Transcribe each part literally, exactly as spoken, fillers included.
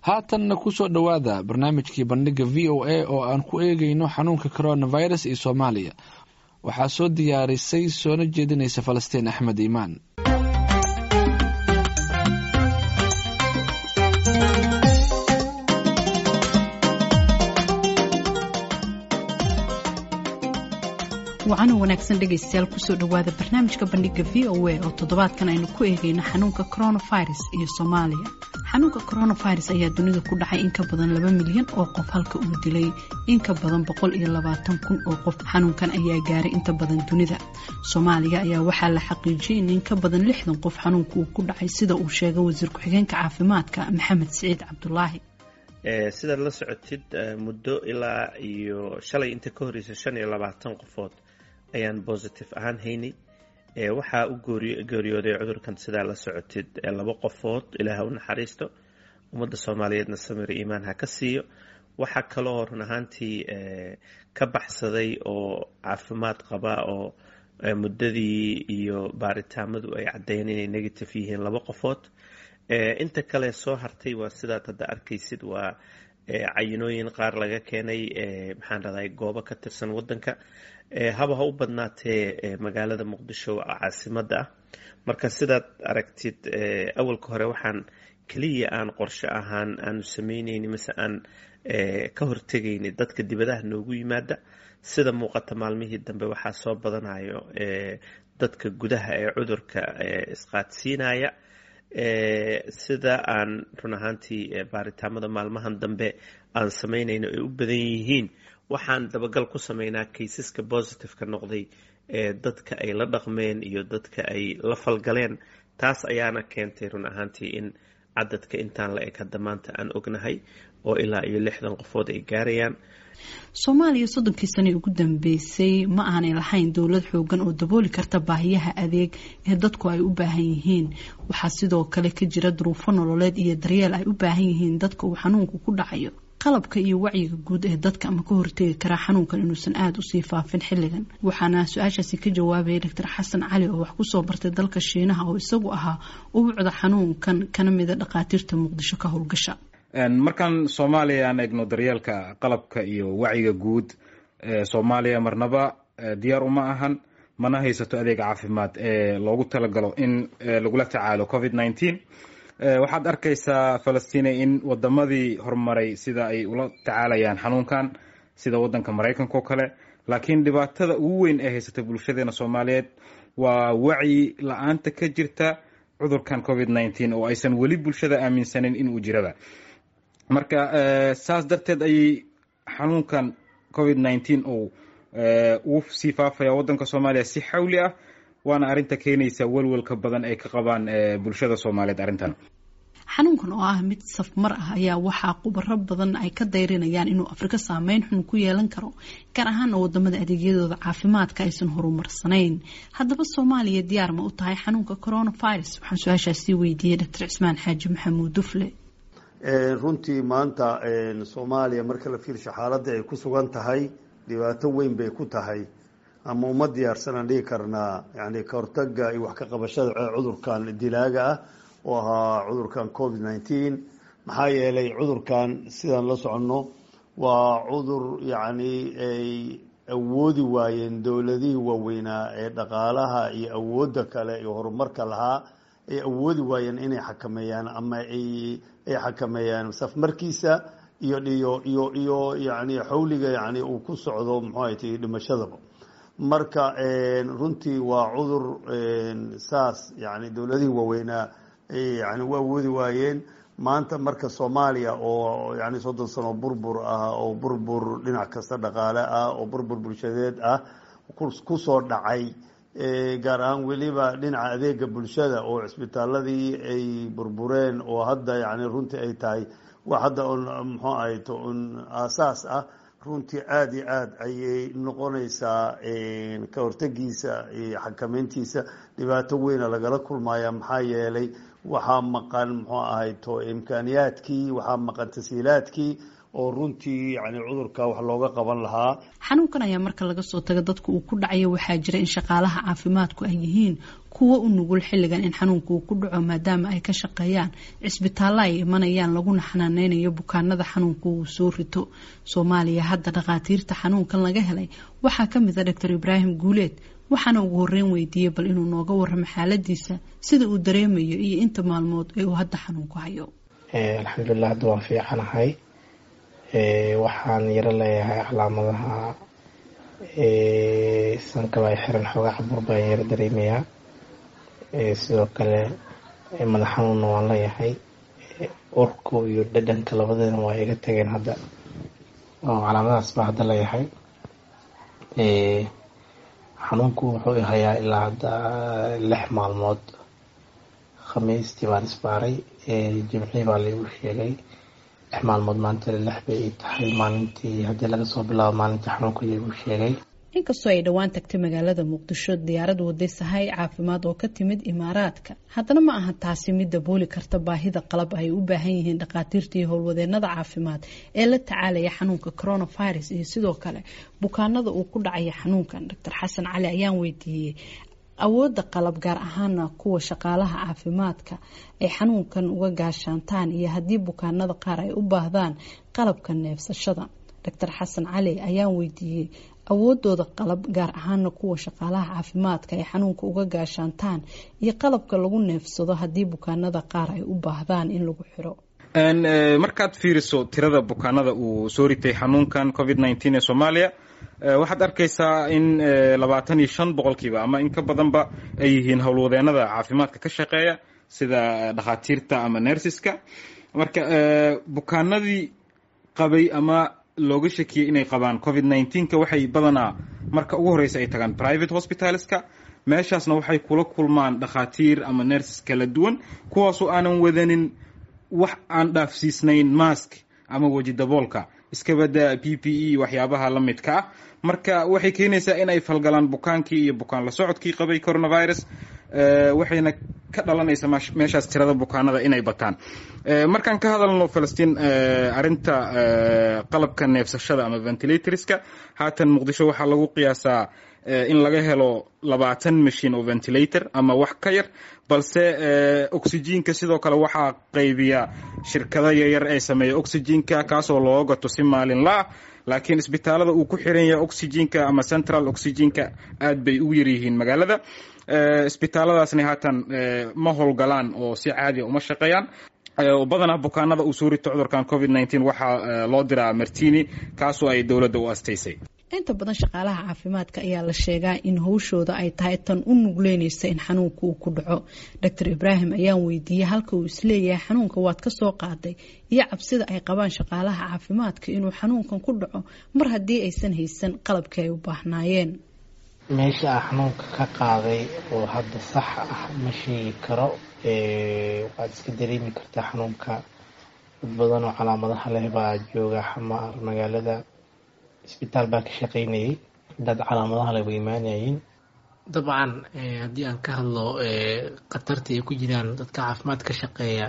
Haatanna kusoo dhowaada barnaamijkii Bandhiga V O A oo aan ku eegeyno xanuunka coronavirus iyo Soomaaliya. Waxaa soo diyaarisay soona jeedinaysa Falastiin Axmed Iimaan. Wacan oo wanaagsan, dhegaystayaal. Kusoo dhowaada barnaamijka Bandhiga V O A oo toddobaadkan aynu ku eegeyno xanuunka coronavirus iyo Soomaaliya. Xanuunka coronavirus ayaa dunida ku dhacay in ka badan laba milyan oo qof, halka uu dilay in ka badan boqol iyo labaatan kun oo qof. Xanuunkan ayaa gaaray inta badan dunida. Soomaaliya ayaa waxaa la xaqiijiyay in in ka badan lixdan qof xanuunka uu ku dhacay, sida uu sheegay wasiir ku-xigeenka caafimaadka Maxamed Siciid Cabdulaahi. Sidaad la socotid, muddo ilaa iyo shalay inta ka horreysa shan iyo labaatan qofood ayaan positive ahaan haynay. Waxaa u geeriyooday cudurkan, sidaa la socotid, laba qofood. Ilaah u naxariisto, ummadda Soomaaliyeedna samir iimaan ha ka siiyo. Waxaa kaloo run ahaantii ka baxsaday oo caafimaad qaba oo muddadii iyo baaritaamadu ay caddeeyeen inay negative yihiin laba qofood. Inta kale soo hartay waa sidaad hadda arkaysid, waa cayinooyin qaar laga keenay, maxaan rahday, goobo ka tirsan waddanka, haba ha u badnaatee magaalada Muqdisho, caasimadda ah. Marka sidaad aragtid, awalka hore waxaan keliya aan qorshe ahaan aanu samaynayni mise aan ka hortegayni dadka dibadaha noogu yimaada. Sida muuqata, maalmihii dambe waxaa soo badanayo dadka gudaha ee cudurka isqaadsiinaya. Sida aan run ahaantii baaritaamada maalmahan dambe aan samaynayno ay u badan yihiin, waxaan dabagal ku sameynaa cases-ka positive-ka noqday ee dadka ay la dhaqmeen iyo dadka ay la falgaleen. Taas ayaana keentay run ahaantii in cadadka intaan la eg hadda maanta aan ognahay oo ilaa iyo lixdan qofood ay gaarayaan. Soomaaliya soddonkii sane ugu dambeysay ma aanay lahayn dowlad xoogan oo dabooli karta baahiyaha adeeg ee dadku ay u baahan yihiin. Waxaa sidoo kale ka jira duruufo nololeed iyo daryeel ay u baahan yihiin dadka uu xanuunku ku dhacayo. Qalabka iyo wacyiga guud ee dadka ama ka hortegi karaa xanuunkan inuusan aada usii faafin xilligan? Waxaana su-aashaasi ka jawaabayay Doctor Xasan Cali oo wax kusoo bartay dalka Shiinaha, oo isagu ahaa ubucda xanuunkan, kana mida dhakhaatiirta Muqdisho ka howlgasha. Markaan Soomaaliya aan eegno, daryeelka, qalabka iyo wacyiga guud, Soomaaliya marnaba diyaar uma ahan, mana haysato adeeg caafimaad ee loogu talagalo in lagula tacaalo covid nineteen. Waxaad arkaysaa, Falastiine, in wadamadii horumaray sida ay ula tacaalayaan xanuunkan, sida wadanka Maraykanka oo kale. Laakiin dhibaatada ugu weyn ee haysata bulshadeena Soomaaliyeed waa wacyi la-aanta ka jirta cudurkan covid nineteen oo aysan weli bulshada aaminsanin inuu jiraba. Marka saas darteed ayay xanuunkan covid nineteen uu ugu sii faafaya waddanka Soomaaliya si xawli ah, waana arrinta keenaysa welwelka badan ay ka qabaan bulshada Soomaaliyeed arrintan. Xanuunkan oo ah mid safmar ah ayaa waxaa khubaro badan ay ka dayrinayaan inuu Afrika saameyn xun ku yeelan karo, gaar ahaana wadamada adeegyadooda caafimaadka aysan horumarsanayn. Haddaba, Soomaaliya diyaar ma u tahay xanuunka coronavirus? Waxaan su-aashaasi weydiiyey Doctor Cismaan Xaaji Maxamuud Dufle. Runtii maanta Soomaaliya marka la fiirsho xaaladda ay ku sugan tahay, dhibaato weyn bay ku tahay ama uma diyaarsanaan dhigi karnaa, yani kahortaga iyo wax ka qabashada cudurkan dilaaga ah oo ahaa cudurkan covid nineteen. Maxaa yeelay, cudurkan sidaan la soconno waa cudur yacni ay awoodi waayeen dowladihii waaweynaa ee dhaqaalaha iyo awoodda kale iyo horumarka lahaa, ay awoodi waayeen inay xakameeyaan ama ay ay xakameeyaan safmarkiisa iyo iyo iyo iyo yani xawliga yani uu ku socdo, muxuu ay tihi, dhimashadaba. Marka runtii waa cudur saas yani dowladihii waaweynaa yani u awoodi waayeen. Maanta marka Soomaaliya oo yani soddon sano burbur ah oo burbur dhinac kasta dhaqaale ah oo burbur bulshadeed ah kusoo dhacay, gaar ahaan weliba dhinaca adeega bulshada oo cisbitaaladii ay burbureen, oo hadda yani runtii ay tahay wax hadda un muxuu ahayto un aasaas ah, runtii aada iyo aada ayay noqonaysaa ka hortagiisa iyo xakameyntiisa dhibaato weyna lagala kulmaya. Maxaa yeelay, waxaa maqan, muxuu ahayto, imkaaniyaadkii, waxaa maqan tasiilaadkii, Oo runtii yani cudurka wax looga qaban lahaa. Xanuunkan ayaa marka laga soo tago dadka uu ku dhacayo, waxaa jira in shaqaalaha caafimaadku ay yihiin kuwo u nugul xilligan in xanuunka uu ku dhaco, maadaama ay ka shaqeeyaan cisbitaallo ay imanayaan laguna xanaaneynayo bukaanada xanuunka uu soo rito. Soomaaliya hadda dhakhaatiirta xanuunkan laga helay waxaa ka mid a Doctor Ibraahim Guuleed, waxaana ugu horeyn weydiiyey bal inuu nooga warramo xaaladiisa, sida uu dareemayo iyo inta maalmood ee uu hadda xanuunku hayo. Alxamdulilah, hadda waan fiicanahay. Waxaan yaro leeyahay calaamadaha sanka baa xiran, xoogaa cabur baan yaro dareemayaa. Sidoo kale madax xanuunna waan leeyahay. Urku iyo dhadhanka labadana waa iga tageen hadda, oo calaamadahaas baa hadda leeyahay. Xanuunku wuxuu hayaa ilaa hadda lix maalmood. Khamiistii baan isbaaray, Jimcii baa laigu sheegay. Lix maalmood maanta lix bay ii tahay, maalintii haddii laga soo bilaabo maalintii xanuunka laigu sheegay. Inkastoo ay dhowaan tagtay magaalada Muqdisho diyaarad waday sahay caafimaad oo ka timid Imaaraadka, haddana ma aha taasi mid dabooli karta baahida qalab ay u baahan yihiin dhakhaatiirta iyo howlwadeenada caafimaad ee la tacaalaya xanuunka coronavirus iyo sidoo kale bukaanada uu ku dhacaya xanuunkan. Doctor Xasan Cali ayaan weydiiyey awoodda qalab, gaar ahaana kuwa shaqaalaha caafimaadka ay xanuunkan uga gaashaantaan, iyo haddii bukaanada qaar ay u baahdaan qalabka neefsashada. Doctor Xasan Cali ayaan weydiiyey awoodooda qalab, gaar ahaana kuwa shaqaalaha caafimaadka ay xanuunka uga gaashaantaan, iyo qalabka lagu neefsado haddii bukaanada qaar ay u baahdaan in lagu xiro. Markaad fiiriso tirada bukaanada uu soo ritay xanuunkan COVID nineteen ee Soomaaliya, waxaad arkaysaa in labaatan iyo shan boqolkiiba ama in ka badanba ay yihiin howlwadeenada caafimaadka ka shaqeeya, sida dhakhaatiirta ama nurseska. Marka bukaanadii qabay ama looga shakiyey inay qabaan COVID nineteenka waxay badanaa marka ugu horeysa ay tagaan private hospitalska. Meeshaasna waxay kula kulmaan dhakhaatiir ama nurses kala duwan, kuwaasoo aanan wadanin wax aan dhaafsiisnayn mask ama weji daboolka, iskabada P P E waxyaabaha la midka ah. Marka waxay keenaysaa in ay falgalaan bukaankii iyo bukaan la socodkii qabay coronavirus, waxayna ka dhalanaysa meeshaas tirada bukaanada inay bataan. Markaan ka hadalno, Falastiin, arrinta qalabka neefsashada ama ventilatorska, haatan Muqdisho waxaa lagu qiyaasaa in laga helo labaatan machine oo ventilator ama wax ka yar, balse oxygenka sidoo kale waxaa qaybiya shirkado yaryar ee sameeya oxygenka, kaasoo looga gato si maalinla ah. Laakiin isbitaalada uu ku xiran yahay oxygenka ama central oxygenka aad bay ugu yaryihiin magaalada. Isbitaaladaasna haatan ma howlgalaan oo si caadiya uma shaqeeyaan. Badanaa bukaanada uu soo rito cudurkan COVID nineteen waxaa loo diraa Martini, kaasoo ay dowladda u astaysay. Inta badan shaqaalaha caafimaadka ayaa la sheegaa in howshooda ay tahay tan u nugleynaysa in xanuunka uu ku dhaco. Doctor Ibraahim ayaan weydiiyey halka uu isleeyahay xanuunka waad ka soo qaaday, iyo cabsida ay qabaan shaqaalaha caafimaadka inuu xanuunkan ku dhaco mar haddii aysan haysan qalabkii ay u baahnaayeen. Meesha a xanuunka ka qaaday oo hadda sax ah ma sheegi karo. Waad iska dareemi kartaa xanuunka, dad badan oo calaamadaha leh baa jooga Xamaar magaalada. Isbitaal baa ka shaqeynayay, dad calaamadaha leh way imaanayeen. Dabcan, haddii aan ka hadlo khatarta ay ku jiraan dadka caafimaad ka shaqeeya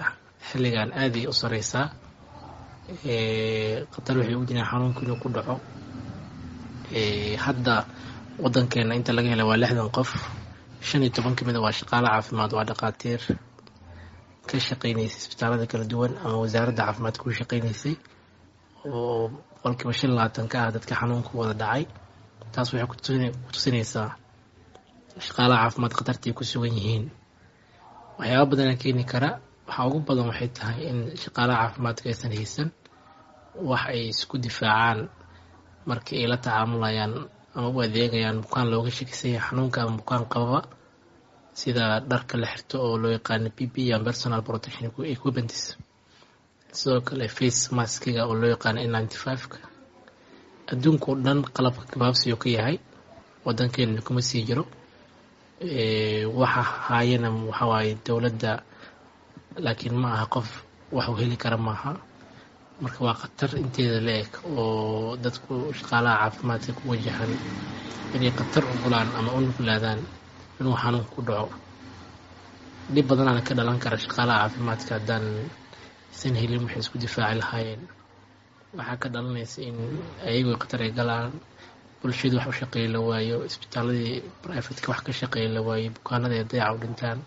xilligan, aaday u sareysaa. Khatar waxay ugu jiraan xanuunka inuu ku dhaco. Hadda wadankeena inta laga helay waa lixdan qof, shan iyo toban kamid a waa shaqaale caafimaad, waa dhaqaatiir ka shaqeynaysay isbitaalada kala duwan ama wasaaradda caafimaadka ku shaqeynaysay, oo boqolkiiba shan iyo labaatan ka ah dadka xanuunka wada dhacay. Taas waxay ku tusinaysaa shaqaalaha caafimaad khatarta ay ku sugan yihiin. Waxyaaba badana keeni kara, waxaa ugu badan waxay tahay in shaqaalaha caafimaadka aysan haysan wax ay isku difaacaan markii ay la tacaamulayaan ama u adeegayaan bukaan looga shakisan yahay xanuunka ama bukaan qababa, sida dharka la xirto oo loo yaqaano P P E ama personal protection equipments, sidoo kale face maskiga oo loo yaqaano N ninety five-ka. Adduunka oo dhan qalabka gabaabsiyo ka yahay, wadankeena kuma sii jiro. Waxa haayana waxawaaye dowladda, laakiin ma aha qof wax uu heli kara maaha. Marka waa khatar inteeda la eg oo dadku shaqaalaha caafimaadka ku wajahan inay khatar u gulaan ama u nuglaadaan inuu xanuun ku dhaco. Dhib badanaana ka dhalan kara shaqaalaha caafimaadka haddaan isan helin waxay isku difaaci lahaayeen. Waxaa ka dhalanaysa in ayagu khatar ay galaan, bulshadu wax u shaqeeya la waayo, isbitaaladii brivatka wax ka shaqeeya la waayo, bukaanada ay dayaca u dhintaan.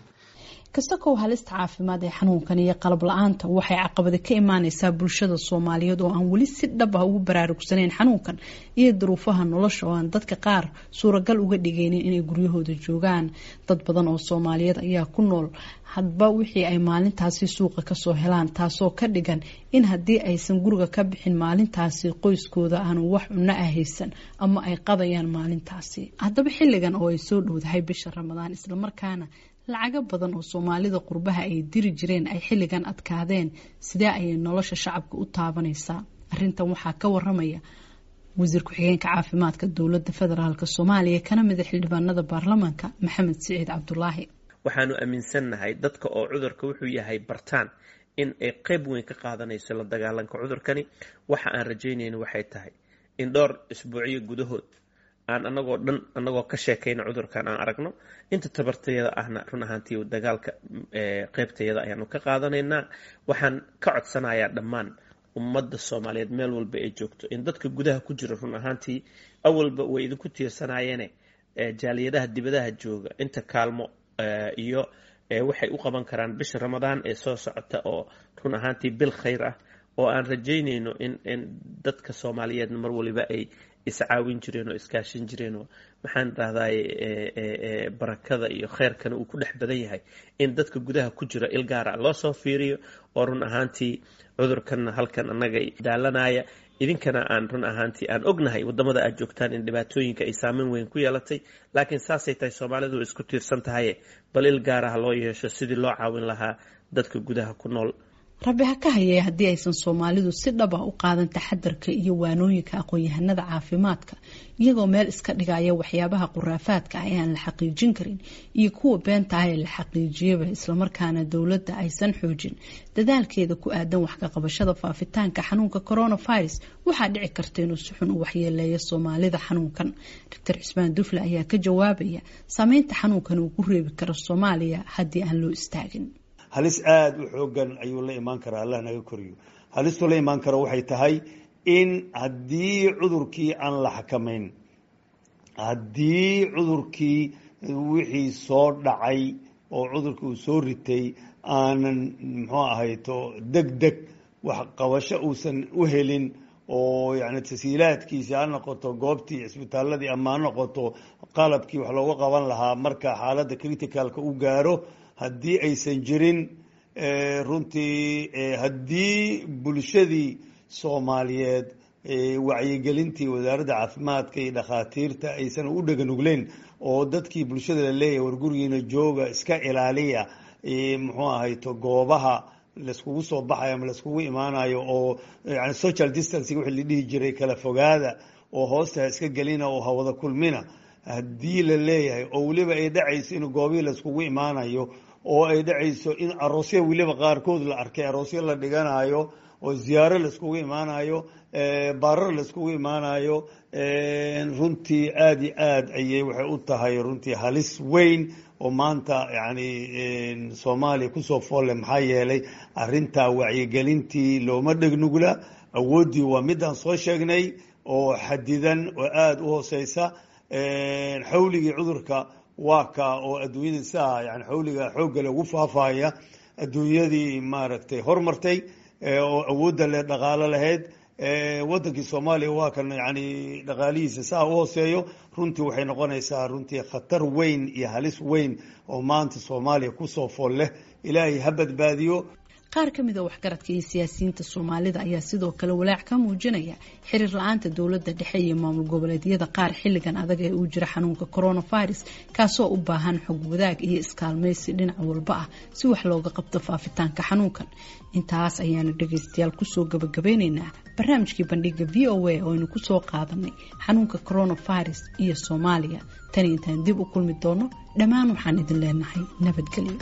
Kasakow halista caafimaad ee xanuunkan iyo qalab la-aanta, waxay caqabada ka imaaneysaa bulshada Soomaaliyeed oo aan weli si dhab ah ugu baraarugsanayn xanuunkan iyo duruufaha nolosha oo aan dadka qaar suuragal uga dhigaynin inay guryahooda joogaan. Dad badan oo Soomaaliyeed ayaa ku nool hadba wixii ay maalintaasi suuqa kasoo helaan, taasoo ka dhigan in haddii aysan guriga ka bixin maalintaasi qoyskooda aanu wax cunno ah haysan ama ay qadayaan maalintaasi. Haddaba xilligan oo ay soo dhowdahay bisha Ramadaan, islamarkaana lacago badan oo Soomaalida qurbaha ay diri jireen ay xilligan adkaadeen, sidee ayay nolosha shacabka u taabanaysaa? Arrintan waxaa ka waramaya wasiir ku-xigeenka caafimaadka dowladda federaalk Soomaaliya kana mida xildhibaanada baarlamaanka, Maxamed Siciid Cabdulaahi. Waxaanu aaminsannahay dadka oo cudurka wuxuu yahay bartaan in ay qayb weyn ka qaadanayso la dagaalanka cudurkani. Waxa aan rajaynayno waxay tahay in dhowr isbuucyo gudahood aan anagoo dhan anagoo ka sheekayna cudurkan aan aragno inta tabartayada ahna run ahaantii dagaalka qaybtayada ayaanu ka qaadanaynaa. Waxaan ka codsanayaa dhammaan ummadda Soomaaliyeed meel walba ay joogto in dadka gudaha ku jira run ahaantii awalba way idinku tiirsanayeene jaaliyadaha dibadaha jooga inta kaalmo iyo waxay u qaban karaan bisha Ramadaan ee soo socota oo run ahaantii bil khayr ah oo aan rajaynayno in in dadka Soomaaliyeedna mar waliba ay iscaawin jireen oo iskaashin jireen oo maxaan rahdaay barakada iyo khayrkana uu ku dhex badan yahay, in dadka gudaha ku jira il gaara loo soo fiiriyo oo run ahaantii cudurkanna halkan annaga daalanaya, idinkana aan run ahaantii aan ognahay wadamada aad joogtaan in dhibaatooyinka ay saameyn weyn ku yeelatay, laakiin saasay tahay Soomaalidu way isku tiirsan tahaye, bal il gaara ha loo yeesho sidii loo caawin lahaa dadka gudaha ku nool. Rabbi ha ka hayee haddii aysan Soomaalidu si dhab ah u qaadan taxadarka iyo waanooyinka aqoon-yahanada caafimaadka, iyagoo meel iska dhigaya waxyaabaha khuraafaadka ah ee aan la xaqiijin karin iyo kuwa beenta ah ee la xaqiijiyaba, islamarkaana dowladda aysan xoojin dadaalkeeda ku aadan wax ka qabashada faafitaanka xanuunka coronavirus, waxaa dhici karta inuu si xun u waxyeeleeyo Soomaalida xanuunkan. Doctor Cismaan Dufle ayaa ka jawaabaya saameynta xanuunkan uu ku reebi karo Soomaaliya haddii aan loo istaagin. Halis aada u xoogan ayuu la imaan karaa, Allah naga koriyo. Halistuu la imaan karo waxay tahay in haddii cudurkii aan la xakamayn, haddii cudurkii wixii soo dhacay oo cudurkii uu soo ritay aanan muxuu ahayto deg deg wax qabasho uusan u helin, oo yani tasiilaadkiisi ha noqoto goobtii cisbitaaladii ama ha noqoto qalabkii wax looga qaban lahaa marka xaaladda criticalka u gaaro, haddii aysan jirin runtii, haddii bulshadii Soomaaliyeed wacyigelintii wasaaradda caafimaadka iyo dhakhaatiirta aysan u dheganugleyn oo dadkii bulshada la leeyahay war gurigiina jooga, iska ilaaliya muxuu ahayto goobaha laiskugu soo baxayo ama laiskugu imaanayo oo yani social distancing wixii la dhihi jiray, kala fogaada oo hoosta ha iska gelina oo hawada kulmina, haddii la leeyahay oo weliba ay dhacayso in goobihii laiskugu imaanayo oo ay dhacayso in aroosya weliba qaarkood la arkay aroosyo la dhiganayo oo ziyaaro laiskugu imaanayo, baarar laiskugu imaanayo, runtii aada iyo aad ayay waxay u tahay runtii halis weyn oo maanta yani Soomaaliya kusoo foolle. Maxaa yeelay arrintaa wacyigelintii looma dhegnugla, awooddii waa midaan soo sheegnay oo xadidan oo aada u hooseysa. Xawligii cudurka waa ka oo adduunyada siaa yani xawliga xoogga lagu faafaya, adduunyadii maaragtay hormartay oo awoodda le dhaqaalo lahayd, wadankii Soomaaliya waa kan yani dhaqaalihiisa saa u hooseeyo. Runtii waxay noqonaysaa runtii khatar weyn iyo halis weyn oo maanta Soomaaliya kusoo fool leh. Ilaahay ha badbaadiyo. Qaar ka mid a waxgaradka iyo siyaasiyiinta Soomaalida ayaa sidoo kale walaac ka muujinaya xiriir la-aanta dowladda dhexe iyo maamul goboleedyada qaar xilligan adag ee uu jira xanuunka coronavirus, kaasoo u baahan xog wadaag iyo iskaalmaysi dhinac walba ah si wax looga qabto faafitaanka xanuunkan. Intaas ayaanu dhagaystayaal kusoo gabagabeyneynaa barnaamijkii bandhiga V O A oo aynu kusoo qaadanay xanuunka coronavirus iyo Soomaaliya. Tani intaan dib u kulmi doono, dhammaan waxaan idin leenahay nabadgelyo.